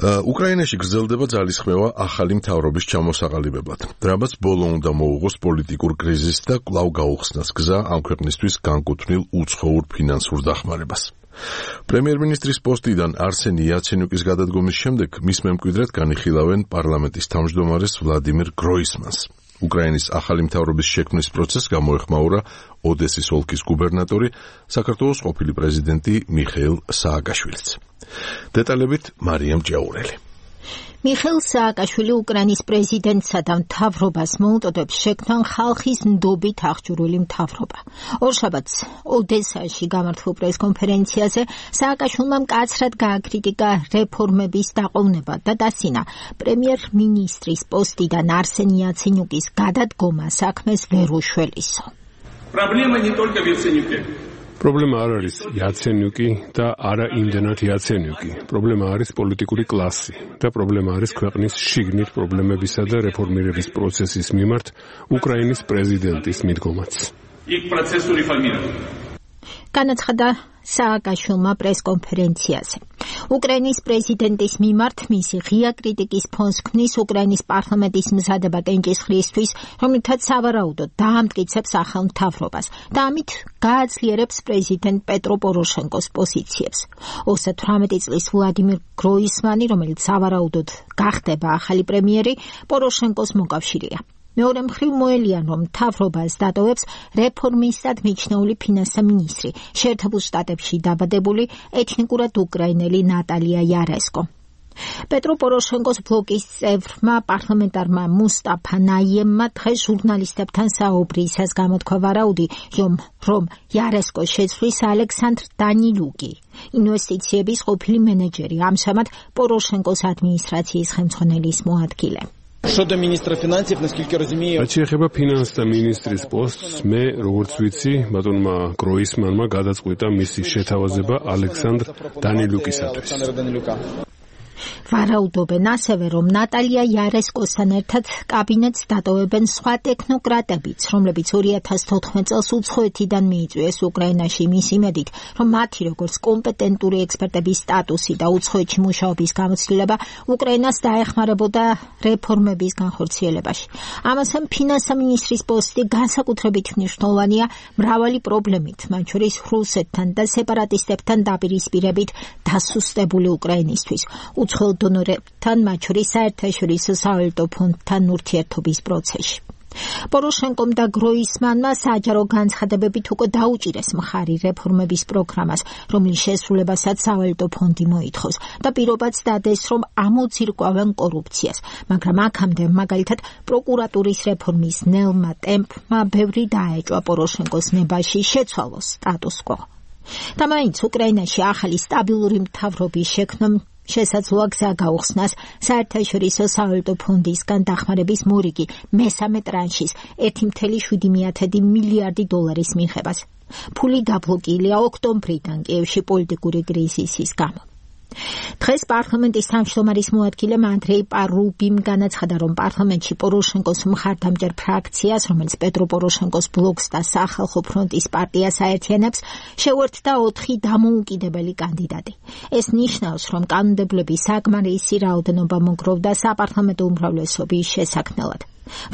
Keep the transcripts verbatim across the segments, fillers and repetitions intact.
უკრაინაში გრძელდება ძალისხმევა ახალი მთავრობის ჩამოსაყალიბებლად, რამაც ბოლო უნდა მოუღოს პოლიტიკურ კრიზისს და კვლავ გაუხსნას გზა ამ ქვეყნისთვის განკუთვნილ უცხოურ ფინანსურ დახმარებას. პრემიერ-მინისტრის პოსტიდან არსენი იაცენიუკის გადადგომის შემდეგ მის მემკვიდრედ განიხილავენ პარლამენტის თავმჯდომარეს ვლადიმირ გროისმანს. უკრაინის ახალი მთავრობის შექმნის პროცესს გამოეხმაურა ოდესის ოლქის გუბერნატორი, საქართველოს ყოფილი პრეზიდენტი მიხეილ სააკაშვილიც. დეტალებით მარიამ ჭიაურელი. მიხეილ სააკაშვილი უკრაინის პრეზიდენტსა და მთავრობას მოუწოდებს შექმნან ხალხის ნდობით აღჭურვილი მთავრობა. ორშაბათს ოდესაში გამართულ პრესკონფერენციაზე სააკაშვილმა მკაცრად გააკრიტიკა რეფორმების დაყოვნება და დასცინა პრემიერ-მინისტრის პოსტიდან არსენ იაცენიუკის გადადგომა საქმეს ვერ უშველისო. Проблема не только в Яценюке. პრობლემა არ არის იაცენიუკი და არა იმდენად იაცენიუკი. პრობლემა არის პოლიტიკური კლასი და პრობლემა არის ქვეყნის შიგნით პრობლემებისა და რეფორმირების პროცესის მიმართ უკრაინის პრეზიდენტის მიდგომაც. იქ პროცესу რეფორმირება. განაცხადა სააკაშვილმა პრესკონფერენციაზე. უკრაინის პრეზიდენტის მიმართ მისი ღია კრიტიკის ფონს ქმნის უკრაინის პარლამენტის მზადება კენჭისყრისთვის, რომლითაც სავარაუდოდ დაამტკიცებს ახალ მთავრობას და ამით გააძლიერებს პრეზიდენტ პეტრო პოროშენკოს პოზიციებს. ოცდათვრამეტი წლის ვლადიმირ გროისმანი, რომელიც სავარაუდოდ გახდება ახალი პრემიერი, პოროშენკოს მოკავშირეა. მეორე მხრივ მოელიან, რომ მთავრობას დატოვებს რეფორმისტად მიჩნეული ფინანსთა მინისტრი, შეერთებულ შტატებში დაბადებული ეთნიკურად უკრაინელი ნატალია იარესკო. პეტრო პოროშენკოს ბლოკის წევრმა პარლამენტარმა მუსტაფა ნაიემმა დღეს ჟურნალისტებთან საუბრისას გამოთქვა ვარაუდი, რომ იარესკოს შეცვლის ალექსანდრ დანილუკი, ინვესტიციების ყოფილი მენეჯერი, ამჟამად პოროშენკოს ადმინისტრაციის ხელმძღვანელის მოადგილე. Щодо министра финансов, насколько я разумею, რაც შეეხება ფინანსთა მინისტრის პოსტს, მე როგორც ვიცი, ბატონმა გროისმანმა გადაწყვიტა მისი შეთავაზება ალექსანდრ დანილუკისათვის. ვარაუდობენ ასევე, რომ ნატალია იარესკოსთან ერთად კაბინეტს დატოვებენ სხვა ტექნოკრატებიც, რომლებიც ორი ათას თოთხმეტ წელს უცხოეთიდან მიიწვიეს უკრაინაში მის იმედით, რომ მათი როგორც კომპეტენტური ექსპერტების სტატუსი და უცხოეთში მუშაობის გამოცდილება უკრაინას დაეხმარებოდა რეფორმების განხორციელებაში. ამასთან ფინანსთა მინისტრის პოსტი განსაკუთრებით მნიშვნელოვანია მრავალი პრობლემით, მათ შორის რუსეთთან და სეპარატისტებთან დაპირისპირებით დასუსტებული უკრაინისთვის. უცხოელ დონორებთან, მათ შორის საერთაშორისო სავალუტო ფონდთან ურთიერთობის პროცესში. პოროშენკომ და გროისმანმა საჯარო განცხადებებით უკვე დაუჭირეს მხარი რეფორმების პროგრამას, რომლის შესრულებასაც სავალუტო ფონდი მოითხოვს და პირობაც დადეს, რომ ამოძირკვავენ კორუფციას, მაგრამ აქამდე მაგალითად პროკურატურის რეფორმის ნელმა ტემპმა ბევრი დაეჭვა პოროშენკოს ნებაში შეცვალოს სტატუს კვო. და მაინც უკრაინაში ახალი სტაბილური მთავრობის შექმნამ შესაძლოა გზა გაუხსნას საერთაშორისო სავალუტო ფონდისგან დახმარების მორიგი მესამე ტრანშის ერთი წუთი შვიდი მილიარდი დოლარის მიღებას. ფული გაბლოკილია ოქტომბრიდან კიევში პოლიტიკური კრიზისის გამო. დღეს პარლამენტის თავმჯდომარის მოადგილემ ანდრეი პარუბიმ განაცხადა, რომ პარლამენტში პოროშენკოს მხარდამჭერ ფრაქციას, რომელიც პეტრო პოროშენკოს ბლოკს და სახალხო ფრონტის პარტიას აერთიანებს, შეუერთდა ოთხი დამოუკიდებელი კანდიდატი. ეს ნიშნავს, რომ კანონმდებლები საკმარისი რაოდენობა მოგროვდა საპარლამენტო უმრავლესობის შესაქმნელად.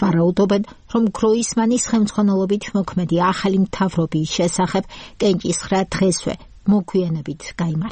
ვარაუდობენ, რომ გროისმანის ხელმძღვანელობით მოქმედი ახალი მთავრობის შესახებ კენჭისყრა დღესვე მოგვიანებით გაიმართა.